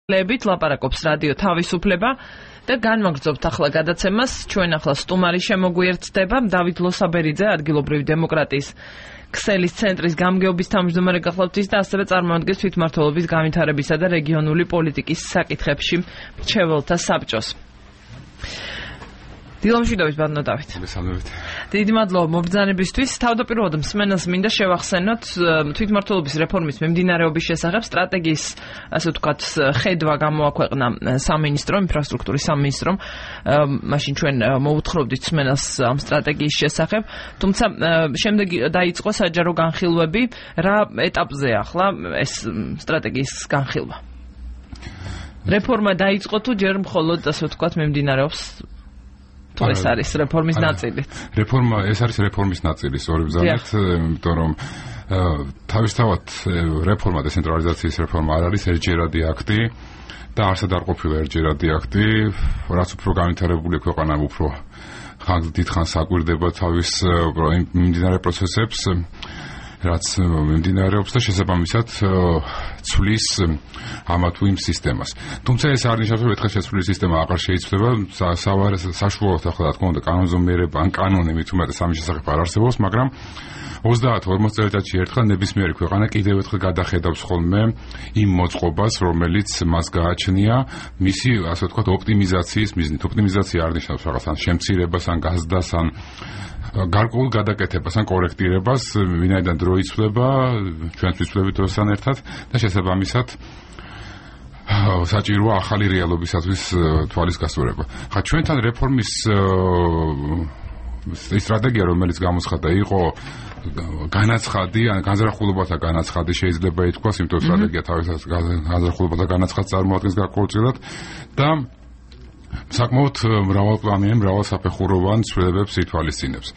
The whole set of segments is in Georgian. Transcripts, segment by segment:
ლებით ლაპარაკობს რადიო თავისუფლება და განვაგრძობთ ახლა გადაცემას. ჩვენ ახლა სტუმარი შემოგვიერთდება დავით ლოსაბერიძე, ადგილობრივი დემოკრატიის ქსელის ცენტრის გამგეობის თავმჯდომარე გახლავთ ის და ასევე წარმოადგენს თვითმმართველობის განვითარებისა და რეგიონული პოლიტიკის საკითხებში მრჩეველთა საბჭოს. დილომშვიდობით ბატონო დავით. დიდი მადლობა მობრძანებისთვის. თავდაპირველად მსმენელს მინდა შევახსენოთ თვითმმართველობის რეფორმის მიმდინარეობის შესახებ სტრატეგიის, ასე ვთქვათ, ხედვა გამოაქვეყნა სამინისტრო, ინფრასტრუქტურის სამინისტრომ. მაშინ ჩვენ მოუთხრობდით მსმენელს ამ სტრატეგიის შესახებ, თუმცა შემდეგ დაიწყო საჯარო განხილვები. რა ეტაპზეა ახლა ეს სტრატეგიის განხილვა? რეფორმა დაიწყო თუ ჯერ მხოლოდ, ასე ვთქვათ, მიმდინარეობს? ეს არის რეფორმის ნაწილი. ეს არის რეფორმის ნაწილი, სწორი ბრძანეთ, იმიტომ რომ თავისთავად რეფორმა, დეცენტრალიზაციის რეფორმა არ არის ერთჯერადი აქტი და არსად არ ყოფილა ერთჯერადი აქტი, რაც უფრო განვითარებული ქვეყანა უფრო დიდ ხანს აკვირდება თავის მიმდინარე პროცესებს, რაც მიმდინარეობს და შესაბამისად ცვლის ამა თუ იმ სისტემას. თუმცა ეს არ ნიშნავს, რომ ერთხელ შეცვლილი სისტემა აღარ შეიცვლება, საშუალოდ ახლა რა თქმა უნდა კანონზომიერება ან კანონი მით უმეტეს ამის შესახებ არ არსებობს, მაგრამ 30-40 წელიწადში ერთხელ ნებისმიერი ქვეყანა კიდევ ერთხელ გადახედავს ხოლმე იმ მოწყობას, რომელიც მას გააჩნია მისი, ასე ვთქვათ, ოპტიმიზაციის მიზნით. ოპტიმიზაცია არ ნიშნავს რაღაც ან შემცირებას, ან გაზრდას, ან გარკვეულ გადაკეთებას, ან კორექტირებას, ვინაიდან დრო იცვლება, ჩვენც ვიცვლებით დროსთან ერთად და შესაბამისად საჭიროა ახალი რეალობისათვის თვალის გასწორება. ხა ჩვენთან რეფორმის სტრატეგია, რომელიც გამოცხადდა, იყო განაცხადი, ან განზრახულობათა განაცხადი შეიძლება ითქვას, იმიტომ სტრატეგია თავისთავად განზრახულობათა განაცხადს წარმოადგენს გარკვეულწილად და საკმაოდ მრავალპლანიან, მრავალსაფეხუროვან ცვლილებებს ითვალისწინებს.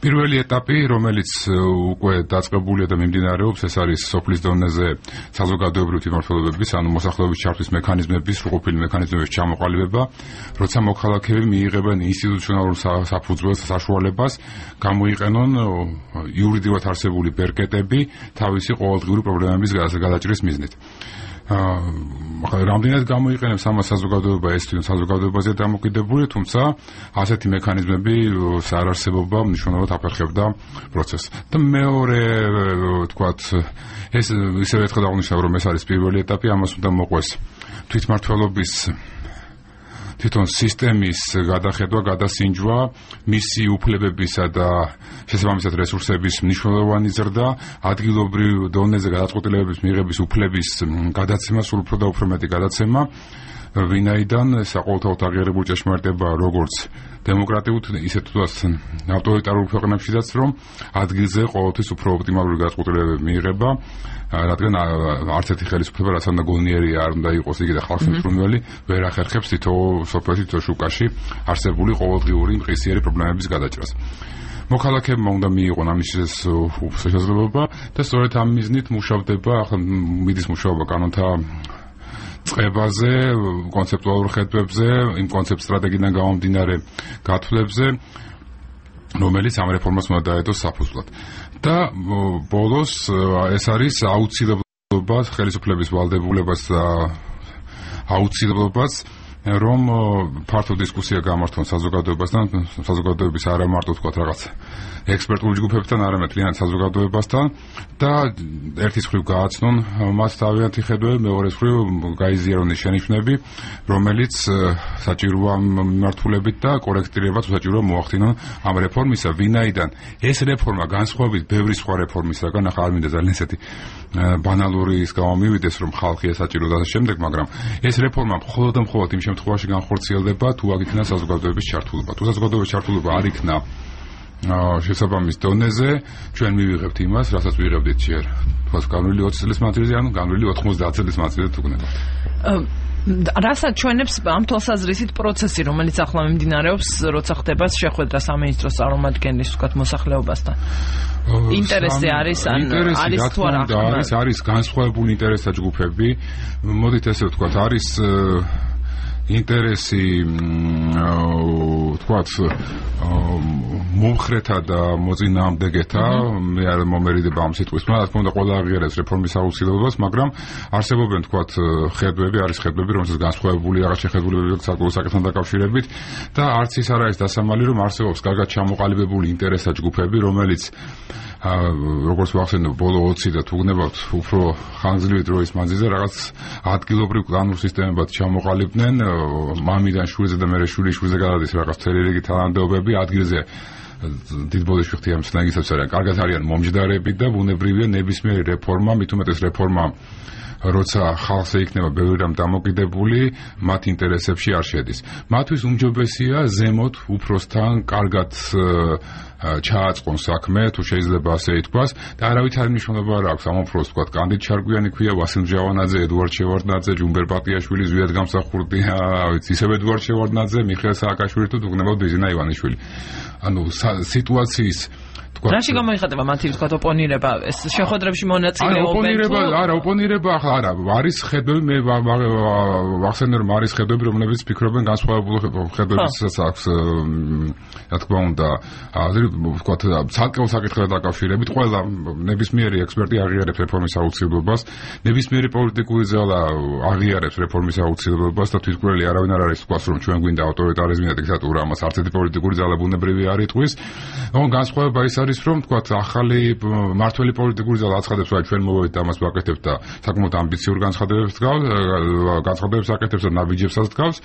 პირველი ეტაპი, რომელიც უკვე დაწყებულია და მიმდინარეობს, ეს არის სოფლის დონეზე საზოგადოებრივი თვითმმართველობების, ანუ მოსახლეობის ჩართვის მექანიზმების, სრულყოფილი მექანიზმების ჩამოყალიბება, როცა მოქალაქეები მიიღებენ ინსტიტუციონალურ საფუძველს, საშუალებას, გამოიყენონ იურიდიულად არსებული ბერკეტები თავისი ყოველდღიური პრობლემების გადაჭრის მიზნით. რამდენად გამოიყენებს ამას საზოგადოება, ეს საზოგადოებაზე დამოკიდებული, თუმცა ასეთი მექანიზმები არარსებობა მნიშვნელოვნად აფერხებდა პროცესს. და მეორე, ვთქვათ, ეს ისევ ერთხელ აღნიშნავ, რომ ეს არის პირველი ეტაპი, ამას უნდა მოყვეს თვითმმართველობის თვითონ სისტემის გადახედვა, გადასინჯვა, მისი უფლებებისა და შესაბამისად რესურსების მნიშვნელოვანი ზრდა, ადგილობრივ დონეზე გადაწყვეტილებების მიღების უფლების გადაცემა, სულ უფრო და უფრო მეტი გადაცემა, ვინაიდან საყოველთაოდ აღიარებული ჭეშმარიტება როგორც დემოკრატიულ, ისე თუნდაც ავტორიტარულ ქვეყნებშიც, რომ ადგილზე ყოველთვის უფრო ოპტიმალური გადაწყვეტილებები მიიღება, რადგან არც ერთი ხელისუფლება, რაც უნდა გონიერი არ უნდა იყოს იგი და ხალხს მწვრთნელი, ვერ ახერხებს თითოეულ სოფელში, თითო შუკაში არსებული ყოველდღიური მყისიერი პრობლემების გადაჭრას. მოქალაქეებმა უნდა მიიღონ ამის შესაძლებლობა და სწორედ ამ მიზნით მუშავდება, ახლა მიდის მუშაობა კანონთა წყებაზე, კონცეპტუალურ ხედვებზე, იმ კონცეპტ სტრატეგიიდან გამომდინარე გათვლებზე, რომელიც ამ რეფორმას უნდა დაედოს საფუძვლად. და ბოლოს ეს არის აუცილებლობა, ხელისუფლების ვალდებულებას და აუცილებლობას, რომ ფართო დისკუსია გამართონ საზოგადოებასთან, საზოგადოების არა მარტო თქვათ რაღაც ექსპერტული ჯგუფებთან, არამედ მთლიანად საზოგადოებასთან და ერთის მხრივ გააცნონ მათ თავიანთი ხედვები, მეორეს მხრივ გაიზიარონ ის შენიშვნები, რომელიც საჭიროა მიმართულებით და კორექტირებაც საჭიროა მოახდინონ ამ რეფორმისა, ვინაიდან ეს რეფორმა განსხვავებით ბევრი სხვა რეფორმისაგან, ახლა არ მინდა ძალიან ესეთი ბანალური ის გამომივიდეს, რომ ხალხი ესაჭირო და შემდეგ, მაგრამ ეს რეფორმა მხოლოდ და მხოლოდ იმ შემთხვევაში განხორციელდება, თუ აქ იქნა საზოგადოების ჩართულობა. თუ საზოგადოების ჩართულობა არ იქნა შესაბამის დონეზე, ჩვენ მივიღებთ იმას, რასაც ვიღებდით ჯერ. თქოს, განვლილი 20 წლის მანძილზე, ანუ განვლილი 90 წლის მანძილზე თუ გნებავთ. რასაც ჩვენებს ამ თვალსაზრისით პროცესი, რომელიც ახლა მიმდინარეობს, როცა ხდება შეხვედრა სამინისტროს წარმომადგენლის, ვთქვათ, მოსახლეობასთან. ინტერესი არის, ან არის თუ არა? არის განსხვავებული ინტერესთა ჯგუფები. მოდით ესე ვთქვათ, არის ინტერესი, ვთქვათ, მომხრეთა და მოწინააღმდეგეთა მე არ მომერიდება ამ სიტყვის მაგრამ რა თქმა უნდა ყველა აღიარებს რეფორმის აუცილებლობას მაგრამ არსებობენ თქვათ ხედვები არის ხედვები რომელსაც განსხვავებული რაღაც შეხედულებები საკუთარ საკითხთან დაკავშირებით და არც ის არ არის დასამალი რომ არსებობს კარგად ჩამოყალიბებული ინტერესთა ჯგუფები რომელიც როგორც ვახსენებ ბოლო 20 და თუ გნებავთ უფრო ხანგრძლივი დროის მანძილზე რაღაც ადგილობრივ კლანურ სისტემებად ჩამოყალიბდნენ მამიდან შვილზე და მერე შვილზე გადადის რაღაც მთელი რიგი თანამდებობები ადგილზე დიდ ბოდიში ხთია მსნაგისაც არიან კარგად არიან მომჯდარები და ბუნებრივია ნებისმიერი რეფორმა მით უმეტეს რეფორმა როცა ხალხზე იქნება ბევრი რამ დამოკიდებული მათ ინტერესებში არ შედის მათთვის უმჯობესია ზემოთ უფროსთან კარგად ჩააწყონ საქმე თუ შეიძლება ასე ითქვას და არავითარი მნიშვნელობა არ აქვს ამ უფროს თქვა კანდიდ ჩარგვიანი ქვია ვასილ ჯავანაძე ედუარდ შევარდნაძე ჯუმბერ პატიაშვილი ზვიად გამსახურდია ისევ ედუარდ შევარდნაძე მიხეილ სააკაშვილი თუ უგნებავ ბიზინა ივანიშვილი ანუ სიტუაციის რაში გამოიხატება მათი თქვა ოპონირება ეს შეხვედრებში მონაწილეობენ არა ოპონირება ახლა არა არის ხედვები მე ვახსენე რომ არის ხედვები რომლებიც ფიქრობენ განსხვავებული ხედვებისაც აქვს რა თქმა უნდა თქვა ცალკეულ საკითხთან დაკავშირებით ყველა ნებისმიერი ექსპერტი აღიარებს რეფორმის აუცილებლობას ნებისმიერი პოლიტიკური ძალა აღიარებს რეფორმის აუცილებლობას და თვითმკვლელი არავინ არ არის თქვას რომ ჩვენ გვინდა ავტორიტარიზმი და დიქტატურა ამას არც ერთი პოლიტიკური ძალა ბუნებრივი არ იტყვის თუმცა განსხვავება ის არის რომ თქვა ახალი მართველი პოლიტიკური ძალა აცხადებს რომ ჩვენ მოვედით ამას ვაკეთებთ და საკმაოდ ამბიციურ განცხადებებს აკეთებს და ნაბიჯებსაც დგავს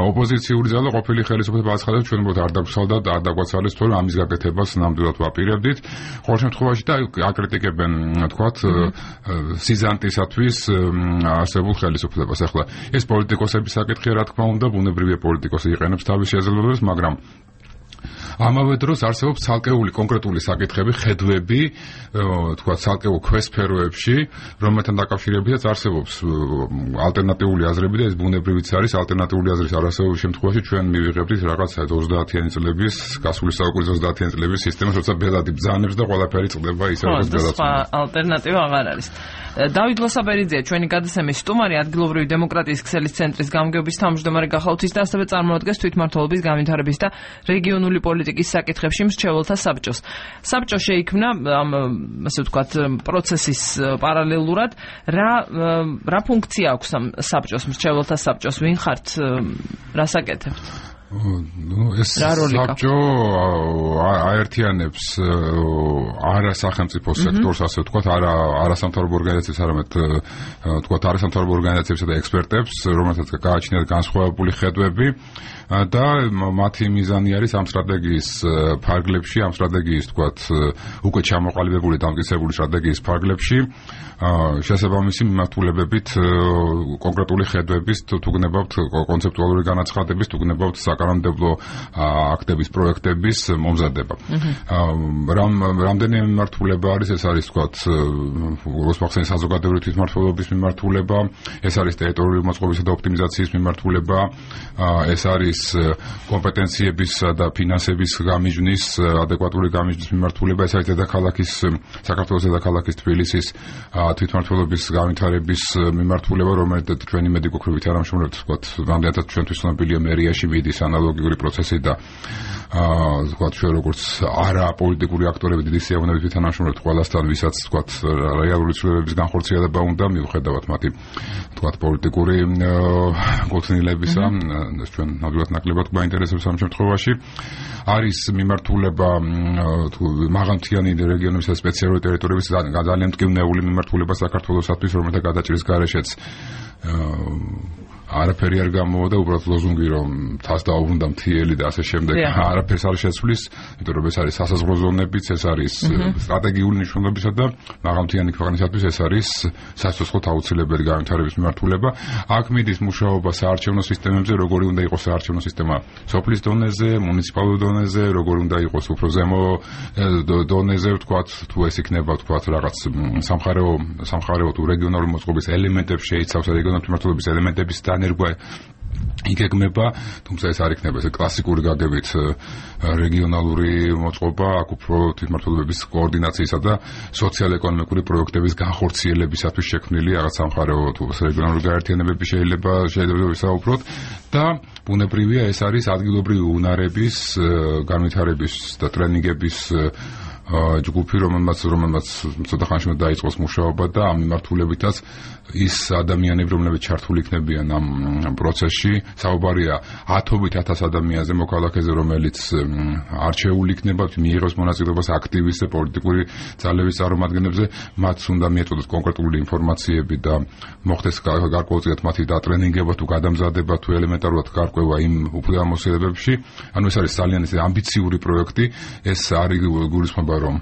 ოპოზიციური ძალა ყოფილი ხელისუფლება აცხადებს ჩვენ მოთ არ დაგვსალდა და არ დაგვაცალეს თორე ამის გაკეთებას ნამდვილად ვაპირებდით ყოველ შემთხვევაში და აკრიტიკებენ თქვა სიზანტისათვის არსებულ ხელისუფლებას ახლა ეს პოლიტიკოსების საკითხია რა თქმა უნდა ბუნებრივია პოლიტიკოსი იყენებს თავის შესაძლებლობებს მაგრამ ამავე დროს არსებობს ცალკეული კონკრეტული საკითხები, ხედვები, თქვა ცალკეულ ქვესფეროებში, რომელთან დაკავშირებითაც არსებობს ალტერნატიული აზრები და ეს ბუნებრივიც არის ალტერნატიული აზრის არასწორობის შემთხვევაში ჩვენ მივიღებთ რაღაც 30-იანი წლების, გასული საუკუნის 30-იანი წლების სისტემას, როცა ბელადი ბრძანებს და ყველაფერი წყდება ისე როგორც გადაწყვეტს. ალტერნატივა აღარ არის. დავით ლოსაბერიძე, ჩვენი გადაცემის სტუმარი, ადგილობრივი დემოკრატიის ქსელის ცენტრის გამგეობის თავმჯდომარე გახალთ ის და ასევე წარმოადგენს თვითმმართველობის განვითარების და რეგიონული პოლიტიკის საკითხებში მრჩეველთა საბჭოს. საბჭო შეიქმნა ამ ასე ვთქვათ პროცესის პარალელურად რა ფუნქცია აქვს ამ საბჭოს მრჩეველთა საბჭოს ვინ ხართ რას აკეთებთ? ეს საბჭო აერთიანებს არა სახელმწიფო სექტორს ასე ვთქვათ არა სამთავრობო ორგანიზაციებს არამედ ვთქვათ არა სამთავრობო ორგანიზაციებსა და ექსპერტებს რომელთაც გააჩნიათ განსხვავებული ხედვები და მათი მიზანი არის ამ სტრატეგიის ფარგლებში ამ სტრატეგიის ვთქვათ უკვე ჩამოყალიბებული დამტკიცებული სტრატეგიის ფარგლებში შესაბამისი მიმართულებებით კონკრეტული ხედვების თუ გნებავთ კონცეპტუალური განაცხადების თუ გნებავთ საკანონმდებლო აქტების პროექტების მომზადება. რამდენიმე მიმართულება არის ეს არის ვთქვათ როსპახსენის საზოგადოებრივი თვითმმართველობის მიმართულება ეს არის ტერიტორიული მოწყობისა და ოპტიმიზაციის მიმართულება ეს არის კომპეტენციებისა და ფინანსების გამიჯვნის ადეკვატური გამიჯვნის მიმართულება ეს არის დედაქალაქის საქართველოს დედაქალაქის თბილისის თვითმმართველობის განვითარების მიმართულება რომელიც ჩვენი მედიკოქრებით არამშრომლებს ვთქვათ რამდენადაც ჩვენთვის ცნობილია მერიაში მიდის ანალოგიური პროცესი და ვთქვათ ჩვენ როგორც არა პოლიტიკური აქტორები დიდი სიამოვნებით თანამშრომლებთ ყველასთან ვისაც ვთქვათ რეალური ცვლილებების განხორციელება უნდა მიუხედავად მათი ვთქვათ პოლიტიკური კუთვნილებისა ეს ჩვენ ნამდვილად ნაკლებად გვაინტერესებს ამ შემთხვევაში არის მიმართულება მაღალმთიანი რეგიონების და სპეციალური ტერიტორიების ძალიან მტკივნეული მიმართულება საქართველოსთვის რომელთა გადაჭრის გარეშეც არაფერი არ გამოვიდა უბრალოდ ლოზუნგი რომ თავს დაუბრუნდა მთიელი და ასე შემდეგ არაფერს არ შეცვლის იმიტომ რომ ეს არის სასაზღვრო ზონებიც ეს არის სტრატეგიული მნიშვნელობისა და მაღალმთიანი ქვეყნისათვის ეს არის სასოცხლო აუცილებელი განვითარების მიმართულება აქ მიდის მუშაობა საარჩევნო სისტემებზე როგორი უნდა იყოს საარჩევნო სისტემა სოფლის დონეზე მუნიციპალურ დონეზე როგორი უნდა იყოს უფრო ზემო დონეზე ვთქვათ თუ ეს იქნება ვთქვათ რაღაც სამხარეო თუ რეგიონალური მოწყობის ელემენტებს შეიცავს რეგიონალური მიმართულების ელემენტების დანერგვა იგეგმება, თუმცა ეს არ იქნება ესე კლასიკური გაგებით რეგიონალური მოწყობა, აქ უფრო თვითმმართველობის კოორდინაციისა და სოციალ-ეკონომიკური პროექტების განხორციელებისათვის შექმნილი რაღაც სამხარეო თუ რეგიონალური გაერთიანებები შეიძლება ვისაუბროთ და ბუნებრივია ეს არის ადგილობრივი უნარების განვითარების და ტრენინგების ჯგუფი, რომელმაც ცოტა ხანში დაიწყოს მუშაობა და ამ მიმართულებითაც ის ადამიანები, რომლებიც ჩართული იქნებიან ამ პროცესში, საუბარია 10,000 ადამიანზე მოქალაქეზე, რომელიც არჩეული იქნება, მიიღოს მონაწილეობას აქტივისტ და პოლიტიკური ძალების წარმომადგენლებზე, მათ უნდა მიეწოდოთ კონკრეტული ინფორმაციები და მოხდეს გარკვეულწილად მათი დატრენინგება თუ გადამზადება თუ ელემენტარულად გარკვევა იმ უფლებამოსილებებში. ანუ ეს არის ძალიან ამბიციური პროექტი, ეს არის გულისხმობა რომ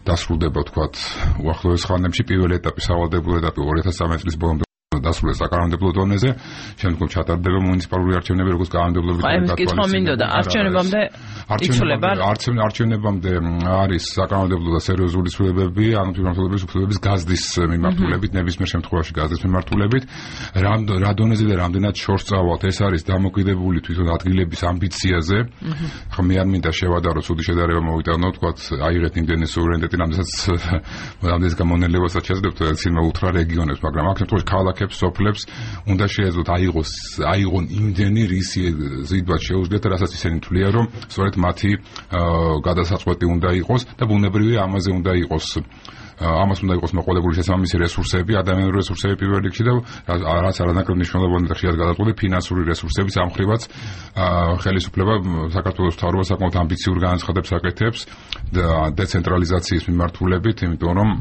დასრულდება თქვათ უახლოეს ხანებში პირველი ეტაპი სავალდებულო ეტაპი 2013 წლის ბოლომდე დასრულდა საკანონმდებლო დონეზე, შემდგომ ჩატარდება მუნიციპალური არჩევნები, როგორც კანონმდებლობის არჩევნებამდე არის საკანონმდებლო და სერიოზული ცვლილებები, ანუ თვითმმართველობის უფლებების გაზრდის მიმართულებით, ნებისმიერ შემთხვევაში გაზრდის მიმართულებით, რა დონეზე და რამდენად შორს წავალთ, ეს არის დამოკიდებული თვითონ ადგილების ამბიციაზე. ხო მე არ მინდა შევადარო ცუდი შედარება მოვიტანო, თქვათ აიღეთ იმდენი სუვერენიტეტი, რამდენიც გამონელებასაც შეძლებთ ცილმა უთხრა რეგიონებს, მაგრამ აქ შემთხვევაში ქალაქებს სოფლებს უნდა შეეძლოთ აიღონ იმდენი რისი ზიდბად შეუძლიათ, რასაც ისინი თვლიან, რომ სწორედ მათი გადასაწყვეტი უნდა იყოს და ბუნებრივია ამაზე უნდა იყოს მოყოლებული შესაბამისი რესურსები, ადამიანური რესურსები პირველ რიგში და რაც არანაკლებ მნიშვნელოვანი და ხშირად გადაწყვეტილი ფინანსური რესურსები, სამხრივაც ხელისუფლება საქართველოს მთავრობა საკმაოდ ამბიციურ განაცხადებს აკეთებს დეცენტრალიზაციის მიმართულებით, იმიტომ რომ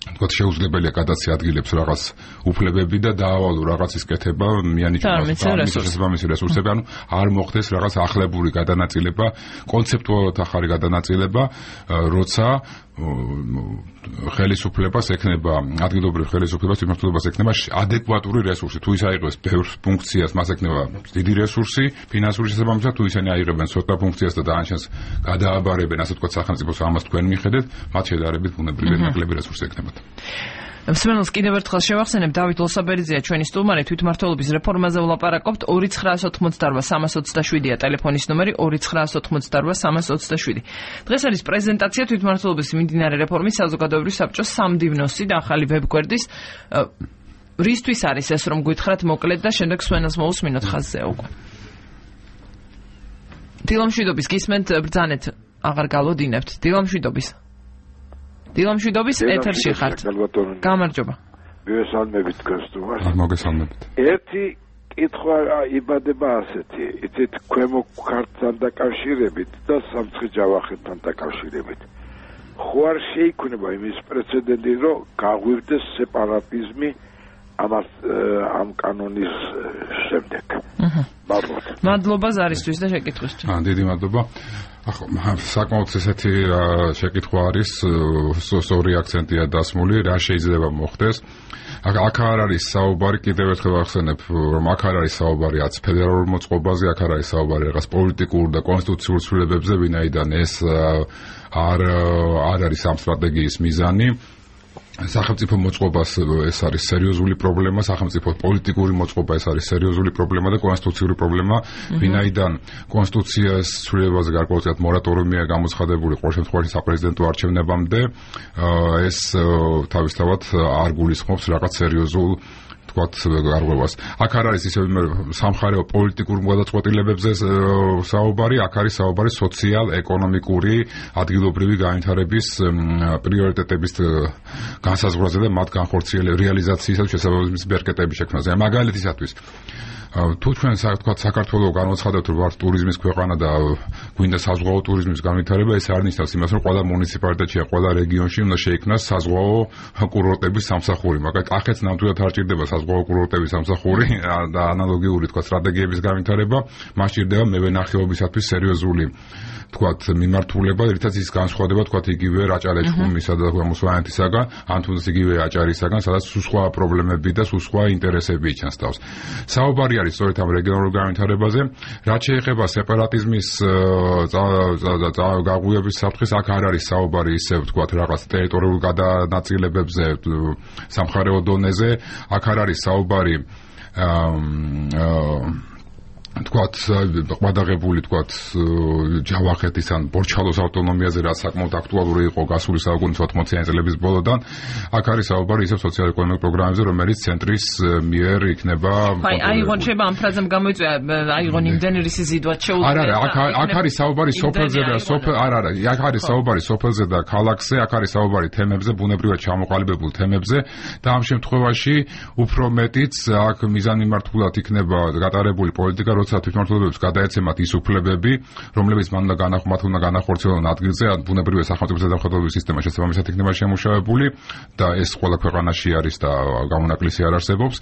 თქვათ შეუძლებელია გადაცე ადგილებს რაღაც უფლებები და დაავალო რაღაცის კეთება, მიანიჭოს შესაბამისი რესურსები, ანუ არ მოხდეს რაღაც ახლებური გადანაწილება, კონცეპტუალურად ახალი გადანაწილება, როცა ხელისუფლებას ექნება, ადგილობრივ ხელისუფლებას მიმართულებას ექნება ადეკვატური რესურსი. თუ ის აიღებს ბევრ ფუნქციას, მას ექნება დიდი რესურსი, ფინანსური შესაბამისად, თუ ისინი აიღებენ ცოტა ფუნქციას და დაანჩენს გადააბარებენ, ასე ვთქვათ, სახელმწიფოს ამას თქვენ მიხედეთ, მათ შედარებით ბუნებრივია ნაკლები რესურსი ექნებათ. მსმენელს კიდევ ერთხელ შევახსენებ, დავით ლოსაბერიძეა ჩვენი სტუმარი, თვითმმართველობის რეფორმაზე ვლაპარაკობთ. 2988-327-ია ტელეფონის ნომერი, 2988-327. დღეს არის პრეზენტაცია თვითმმართველობის მიმდინარე რეფორმის საზოგადოებრივი საბჭოს სამდივნოსი და ახალი ვებგვერდის. რისთვის არის ეს, რომ გითხრათ მოკლედ და შემდეგ მსმენელს მოусმინოთ ხაზზე უკვე. დილამშვიდობის გისმენთ, ბრძანეთ, აღარ გალოდინებთ. დილამშვიდობის ეთერში ხართ. გამარჯობა. მოგესალმებით გასტუმარს. მოგესალმებით. ერთი კითხვა იბადება ასეთი, იცით, ქვემო ქართლთან დაკავშირებით და სამცხე-ჯავახეთთან დაკავშირებით. ხო არ შეიქმნება იმის პრეცედენტი, რომ გაღვივდეს სეპარატიზმი ამ კანონის შემდეგ. მადლობა ზარისთვის და შეკითხვისთვის. დიდი მადლობა. საკმაოდ ესეთი შეკითხვა არის, სწორი აქცენტია დასმული, რა შეიძლება მოხდეს. აქ არ არის საუბარი, კიდევ ერთხელ ვახსენებ, რომ აქ არ არის საუბარი აც ფედერალურ მოწყობაზე, აქ არ არის საუბარი რაღაც პოლიტიკურ და კონსტიტუციურ ცვლილებებზე, ვინაიდან ეს არ არის ამ სტრატეგიის მიზანი. სახელმწიფო მოწყობას ეს არის სერიოზული პრობლემა, სახელმწიფო პოლიტიკური მოწყობა ეს არის სერიოზული პრობლემა და კონსტიტუციური პრობლემა, ვინაიდან კონსტიტუციას ცვლილებაზე გარკვეულწილად მორატორიუმია გამოცხადებული ყოველ შემთხვევაში საპრეზიდენტო არჩევნებამდე, ეს თავისთავად არ გულისხმობს რაღაც სერიოზულ გარღვევას. აქ არ არის ისე სამხარეო პოლიტიკურ გადაწყვეტილებებზე საუბარი, აქ არის საუბარი სოციალ-ეკონომიკური ადგილობრივი განვითარების პრიორიტეტების განსაზღვრაზე და მათ განხორციელების რეალიზაციისათვის შესაბამისი ბერკეტების შექმნაზე. მაგალითისათვის თუ ჩვენ საქართველოს განვაცხადებთ, რომ ვართ ტურიზმის ქვეყანა და გვინდა საზღვაო ტურიზმის განვითარება, ეს არ ნიშნავს იმას, რომ ყველა მუნიციპალიტეტში, ყველა რეგიონში უნდა შეიქმნას საზღვაო კურორტების სამსახური. მაგალითად, ახეთს ნამდვილად არ ჭირდება საზღვაო კურორტების სამსახური და ანალოგიური სტრატეგიების განვითარება, მას ჭირდება მევენახეობისათვის სერიოზული მიმართულება, რითაც ის განსხვავდება იგივე რაჭა-ლეჩხუმისა და მოსვანეთისაგან, ან თუნდაც იგივე აჭარისაგან, სადაც სხვა პრობლემები და სხვა ინტერესები იჩენს თავს. საუბარი არის სწორედ ამ რეგიონულ განვითარებაზე, რაც შეეხება სეპარატიზმის გაღვივების საფრთხეს, აქ არ არის საუბარი ისე რაღაც ტერიტორიულ გადანაწილებებზე სამხარეო დონეზე, აქ არ არის საუბარი თქვათ ყადაღებული თქვათ ჯავახეთის ან ბორჩალოს ავტონომიაზე რაც საკმაოდ აქტუალური იყო გასული საუკუნის 80-იანი წლების ბოლოდან აქ არის საუბარი ისევ სოციალ-ეკონომიკურ პროგრამებზე რომელიც ცენტრის მიერ იქნება აიღონ შეიძლება ამ ფრაზამ გამოიწვია აიღონ იმდენი რისი ზიდვაც შეუძლია აქ არის საუბარი სოფელზე და აქ არის საუბარი სოფელზე და ქალაქზე აქ არის საუბარი თემებზე ბუნებრივად ჩამოყალიბებულ თემებზე და ამ შემთხვევაში უფრო მეტიც აქ მიზანმიმართულად იქნება გატარებული პოლიტიკა როცა თვითმმართველობებს გადაეცემათ ის უფლებები რომლებიც მან უნდა განახორციელონ ადგილზე ან ბუნებრივი სახელმწიფო ზედამხედველობის სისტემა შესაბამისად იქნება შემუშავებული და ეს ყველა ქვეყანაში არის და გამონაკლისი არ არსებობს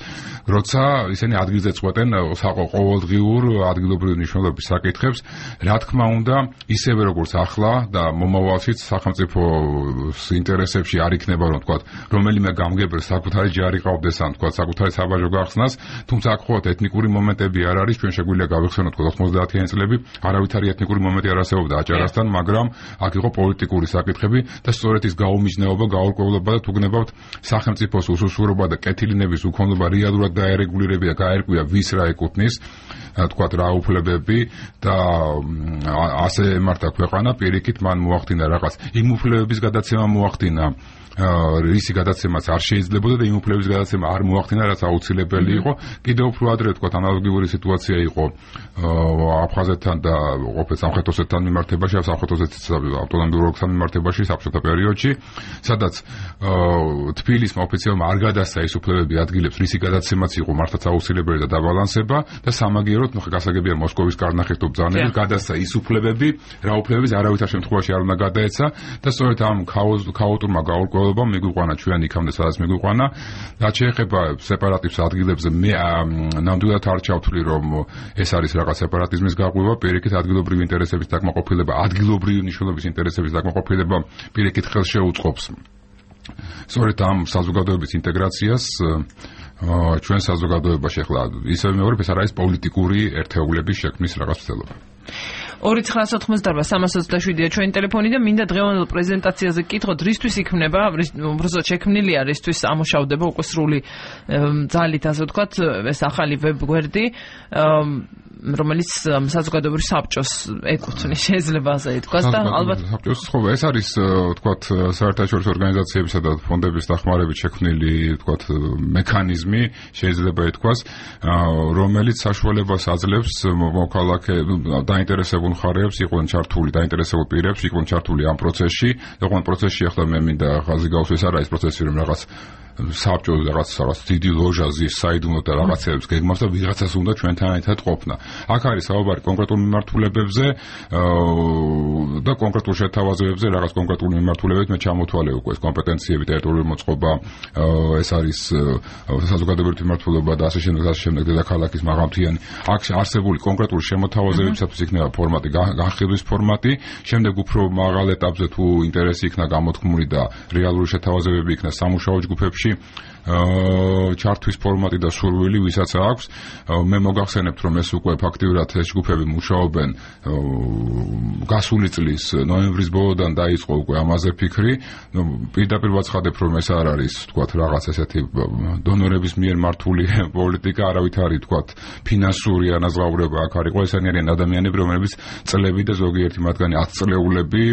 როცა ისინი ადგილზე წყვეტენ ყოველდღიურ ადგილობრივი მნიშვნელობის საკითხებს რა თქმა უნდა ისევე როგორც ახლა და მომავალშიც სახელმწიფოს ინტერესებში არ იქნება რომ თქვა რომელიმე გამგებელს საკუთარი ჯარი ყავდეს ან თქვა საკუთარი საბაჟო გახსნას თუმცა აქ ხოლმე ეთნიკური მომენტები არ არის ჩვენ შეგვიძლია გავიხსენოთ 90-იანი წლები არავითარი ეთნიკური მომენტი არ არსებობდა აჭარასთან მაგრამ აქ იყო პოლიტიკური საკითხები და სწორედ ის გაუმიჯნეობა გაურკვევლობა და თუ გნებავთ სახელმწიფოს უსუსურობა და კეთილინების უქონლობა რეალურად დაერეგულირებია გაერკვია ვის რა ეკუთვნის თქვა რა უფლებები და ასე ემართა ქვეყანა პირიქით მან მოახდინა რაღაც იმ უფლებების გადაცემა მოახდინა რისი გადაცემაც არ შეიძლებოდა და იმ უფლებების გადაცემა არ მოახდინა რაც აუცილებელი იყო კიდევ უფრო ადრე თქვა ანალოგიური სიტუაცია იყო აფხაზეთთან და ყოფილ სამხრეთ ოსეთთან მიმართებაში სამხრეთ ოსეთის ავტონომიურ ოლქთან მიმართებაში საბჭოთა პერიოდში სადაც თბილისმა ოფიციალურად არ გადასცა ის უფლებები ადგილებს რისი გადაცემაც იყო მართლაც აუცილებელი და დაბალანსება და სამაგიეროდ გასაგებია მოსკოვის კარნახის თუ ბრძანებით გადასცა ის უფლებები რა უფლებების არავითარ შემთხვევაში არ უნდა გადაეცა და სწორედ ამ ქაოტურმა გაურკვევლობამ მიგვიყვანა ჩვენ იქამდე სადაც მიგვიყვანა რაც შეეხება სეპარატისტ ადგილებზე მე ნამდვილად არ ჩავთვლი რომ ეს არის რაღაც სეპარატიზმის გაყვება პირიქით ადგილობრივი ინტერესების დაკმაყოფილება ადგილობრივი მნიშვნელობის ინტერესების დაკმაყოფილება პირიქით ხელს შეუწყობს სწორედ ამ საზოგადოების ინტეგრაციას ჩვენ საზოგადოებაში ახლა ისევ მეორე ეს არის პოლიტიკური ერთეულების შექმნის რაღაც ცდელობა 299-327-ია ჩვენი ტელეფონი და მინდა დღევანდელ პრეზენტაციაზე გკითხოთ რისთვის იქმნება უბრალოდ შექმნილია რისთვის ამუშავდება უკვე სრული ძალით ასე ვთქვათ ეს ახალი ვებ-გვერდი რომელიც საზოგადოებრივ საბჭოს ეკუთვნის შეიძლება ასე ითქვას და ალბათ საბჭოს ხო ეს არის ვთქვათ საერთაშორისო ორგანიზაციებისა და ფონდების დახმარებით შექმნილი ვთქვათ მექანიზმი შეიძლება ითქვას რომელიც საშუალებას აძლევს მოქალაქე დაინტერესებულ მხარეებს იყვნენ ჩართული დაინტერესებულ პირებს იყვნენ ჩართული ამ პროცესში იყვნენ პროცესში ახლა მე მინდა ხაზი გავუსვეს არა ეს პროცესი რომ რაღაც საბჭოს რაღაც დიდი ლოჟაზის საიდუმლო და რაღაცებს გეგმავს და ვიღაცას უნდა ჩვენთან ერთად ყოფნა. აქ არის საუბარი კონკრეტულ მიმართულებებზე და კონკრეტულ შეთავაზებებზე რაღაც კონკრეტული მიმართულებებით მე ჩამოთვალე უკვე ეს კომპეტენციები ტერიტორიული მოწყობა ეს არის საზოგადოებრივი მიმართულება და ასე შემდეგ დედაქალაქის მაღალმთიანი აქ არსებული კონკრეტული შემოთავაზებებისათვის იქნება ფორმატი განხილვის ფორმატი შემდეგ უფრო მაღალ ეტაპზე თუ ინტერესი იქნა გამოთქმული და რეალური შეთავაზებები იქნა სამუშაო ჯგუფებში ჩართვის ფორმატი და სურვილი ვისაც აქვს მე მოგახსენებთ რომ ეს უკვე ფაქტიურად ეს ჯგუფები მუშაობენ გასული წლის ნოემბრის ბოლოდან დაიწყო უკვე ამაზე ფიქრი პირდაპირ ვაცხადებ რომ ეს არ არის თქვათ რაღაც ესეთი დონორების მიერ მართული პოლიტიკა არავით არის თქვათ ფინანსური ანაზღაურება აქ არის ესენი არიან ადამიანები რომლებიც წლები და ზოგიერთი მათგანი 10 წლეულები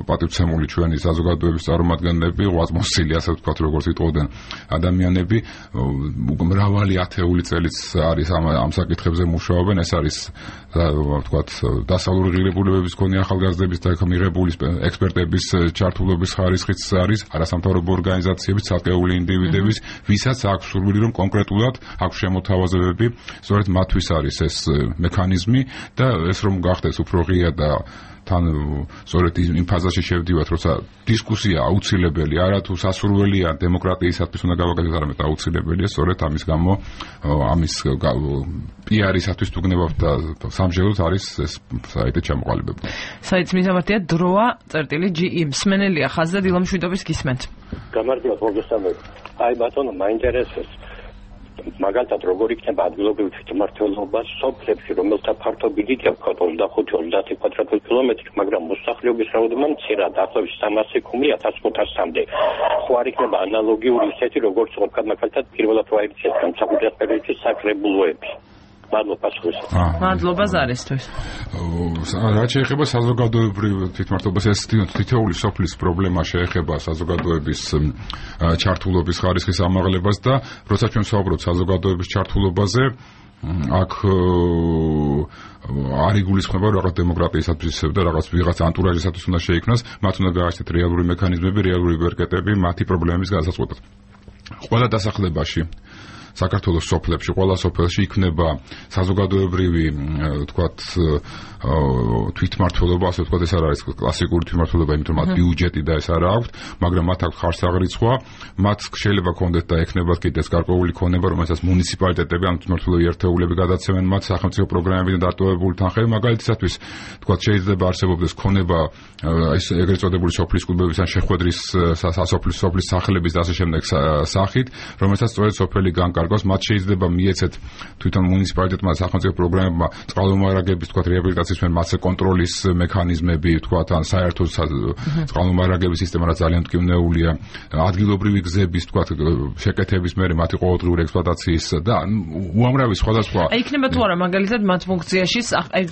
პატივცემული ჩვენი საზოგადოების წარმომადგენლები 80 ასე ვთქვათ როგორც იტყოდნენ ადამიანები მრავალი ათეული წელიც არის ამ საკითხებზე მუშაობენ ეს არის ვთქვათ დასავლური ღირებულებების მქონე ახალგაზრდების და მიღებული ექსპერტების ჩართულობის ხარისხიც არის არასამთავრობო ორგანიზაციების ცალკეული ინდივიდების ვისაც აქვს სურვილი რომ კონკრეტულად აქვს შემოთავაზებები სწორედ მათთვის არის ეს მექანიზმი და ეს რომ გახდეს უფრო ღია და თან სწორედ იმ ფაზაში შევდივართ, როცა დისკუსია აუცილებელი, არა თუ სასურველია დემოკრატიისათვის უნდა გავაკეთოთ, არამედ აუცილებელია, სწორედ ამის გამო ამის PR-ისათვის თუ გნებავთ და სამჟელოდ არის ეს საიტი ჩამოყალიბებული. საიტის მისამართია დროა.ge მსმენელია ხაზი და დილამშვიდობის გისმენთ. გამარჯობა პროფესორ. აი ბატონო, მაინტერესებს მაგალითად როგორ იქნება ადგილობრივი თვითმმართველობა სოფლებში, რომელთა ფართობიდია ვქოთ 25-30 კვადრატული კილომეტრი, მაგრამ მოსახლეობის რაოდენობა მცირად, ახლავს 300,000-1500-მდე. ხო არ იქნება ანალოგიური ისეთი, როგორც მაგალითად პირველად ვაიქცეთ განსაკუთრებით პერიოდში საკრებულოები. მადლობა სხვისა. მადლობა ზარისთვის. რაც შეეხება საზოგადოებრივ თვითმმართველობას, ეს თითოეული სოფლის პრობლემა შეეხება საზოგადოების ჩართულობის ხარისხის ამაღლებას და როცა ჩვენ ვსაუბრობთ საზოგადოების ჩართულობაზე, აქ არ იგულისხმება რაღაც დემოკრატიისათვის და რაღაც ვიღაც ანტურაჟისათვის უნდა შეიქმნას, მათ უნდა გააჩნდეთ რეალური მექანიზმები, რეალური ვერკეტები მათი პრობლემების გადაწყვეტად. ყველა დასახლებაში საქართველოს სოფლებში, ყველა სოფელში იქნება საზოგადოებრივი, თქვათ, თვითმმართველობა, ასე ვთქვათ, ეს არ არის კლასიკური თვითმმართველობა, იმიტომ რომ მათ ბიუჯეტი და ეს არ აქვს, მაგრამ მათ აქვს ხარსაღრიცხვა, მათ შეიძლება კონდეთ და ექნებათ კიდეც გარკვეული ქონება, რომელსაც მუნიციპალიტეტები ან თვითმმართველობრივი ერთეულები გადაცემენ მათ სახელმწიფო პროგრამებიდან დატოვებული თანხები, მაგალითისათვის, თქვათ, შეიძლება არსებობდეს ქონება ეს ეგრეთ წოდებული სოფლის კლუბების ან შეხვედრის სოფლის სახლების და ასე შემდეგ სახით, რომელსაც სწორედ სოფელი განკარგავს, მათ შეიძლება მიეცეთ თვითონ მუნიციპალიტეტმა სახელმწიფო პროგრამებმა წყალმომარაგების, თქვათ, რეაბილიტაციის მათზე კონტროლის მექანიზმები, თქვათ, ან საერთო წყალმომარაგების სისტემა, რაც ძალიან მტკივნეულია, ადგილობრივი გზების, თქვათ, შეკეთების მერე მათი ყოველდღიური ექსპლუატაციის და უამრავი სხვადასხვა. იქნება თუ არა მაგალითად მათ ფუნქციაში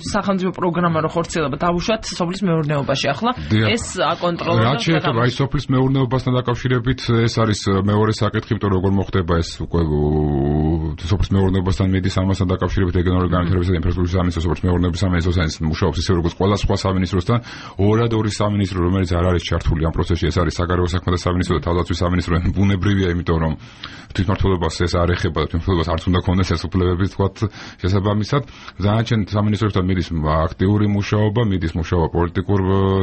სახელმწიფო პროგრამა რო ხორციელება დავუშვათ სოფლის მეურნეობაში ახლა ეს აკონტროლება. რაც შეეხება აი სოფლის მეურნეობასთან დაკავშირებით, ეს არის მეორე საკითხი, იმიტომ რომ როგორ მოხდება ეს უკვე სოფლის მეურნეობასთან მიდის ამასთან დაკავშირებით რეგიონალური განვითარებისა და ინფრასტრუქტურის სამინისტრო, სოფლის მეურნეობის სამინისტროსთან მუშაობს ისე როგორც ყველა სხვა სამინისტროსთან, ორი სამინისტრო, რომელიც არ არის ჩართული ამ პროცესში, ეს არის საგარეო საქმეთა სამინისტრო და თავდაცვის სამინისტრო, ბუნებრივია, იმიტომ რომ თვითმმართველობას ეს არ ეხება, თვითმმართველობას არც უნდა ქონდეს ეს უფლებები, თქვათ, შესაბამისად, დანარჩენ სამინისტროსთან მიდის აქტიური მუშაობა, მიდის მუშაობა პოლიტიკურ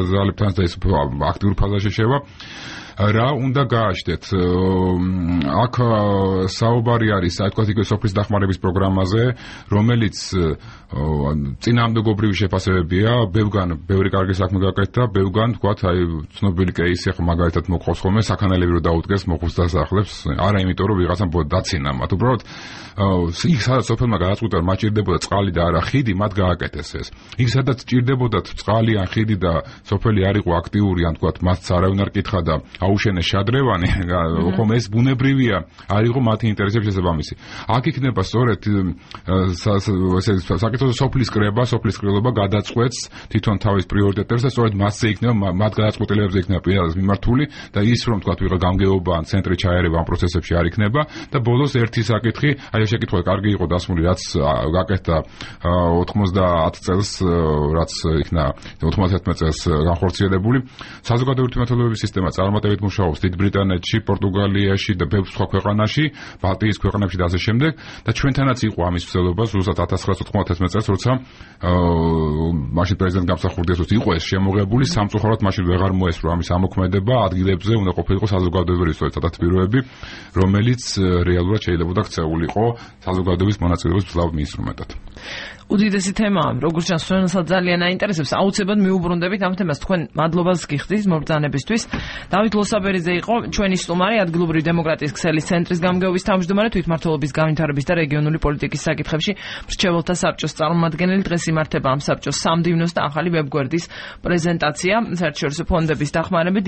ძალებთან და ეს აქტიურ ფაზაში შევა. რა უნდა გააჩნდეთ? აქ საუბარი არის, აი თქვათ, იქ სოფლის დახმარების პროგრამაზე, რომელიც წინააღმდეგობრივი შეფასებებია, ბევრი კარგი საქმე გაკეთდა, ბევრგან, თქვათ, აი ცნობილი კეისი ახლა მაგალითად მოყავს ხოლმე, საქანელები რო დაუდგეს მოხუც დასახლებს, არა იმიტომ რომ ვიღაცამ დაცინა მათ, უბრალოდ იქ სადაც სოფელმა გადაწყვიტა, მათ ჭირდებოდა წყალი და არა ხიდი, მათ გააკეთეს ეს. იქ სადაც ჭირდებოდათ წყალი ან ხიდი და სოფელი არ იყო აქტიური, ან თქვათ, მათ არავინ არ კითხა და აუშენეს შადრევანი, ხომ ეს ბუნებრივია, არ იყო მათი ინტერესების შესაბამისი. აქ იქნება სწორედ საკითხო სოფლის კრება გადაწყვეტს თვითონ თავის პრიორიტეტებს და სწორედ მასზე იქნება, მათ გადაწყვეტილებებზე იქნება პირადად მიმართული და ის რომ თქვათ ვიღა გამგეობა ან ცენტრი ჩაერევა ამ პროცესებში არ იქნება და ბოლოს ერთი საკითხი, აი შეკითხვა კარგი იყო დასმული, რაც გაკეთდა 90 წელს, რაც იქნა 91 წელს განხორციელებული. საზოგადოებრივი თვითმმართველობების სისტემა წარმატებით მუშაობს დიდ ბრიტანეთში, პორტუგალიაში და ბევრ სხვა ქვეყანაში, ბალტიის ქვეყნებში და ასე შემდეგ და ჩვენთანაც იყო ამის მცდელობა ზუსტად 1991 წელს, როცა მაშინ პრეზიდენტ გამსახურდიას იყო ეს შემოღებული, სამწუხაროდ მაშინ ვეღარ მოესწრო ამის ამოქმედება, ადგილებზე უნდა ყოფილიყო საზოგადოებრივი საწათბიროები, რომელიც რეალურად შეიძლება ქცეულიყო საზოგადოების მონაწილეობის მძლავრ ინსტრუმენტად. უდიდესი თემაა, როგორც ჩანს, ჩვენსაც ძალიან აინტერესებს. აუცილებლად მიუბრუნდებით ამ თემას. თქვენ მადლობას გიხდით მობრძანებისთვის. დავით ლოსაბერიძე იყო ჩვენი სტუმარი, ადგილობრივი დემოკრატიის ქსელის ცენტრის გამგეობის თავმჯდომარე, თვითმმართველობის განვითარების და რეგიონული პოლიტიკის საკითხებში მრჩეველთა საბჭოს წარმომადგენელი. დღეს იმართება ამ საბჭოს სამდივნოს და ახალი ვებგვერდის პრეზენტაცია საერთაშორისო ფონდების დახმარებით.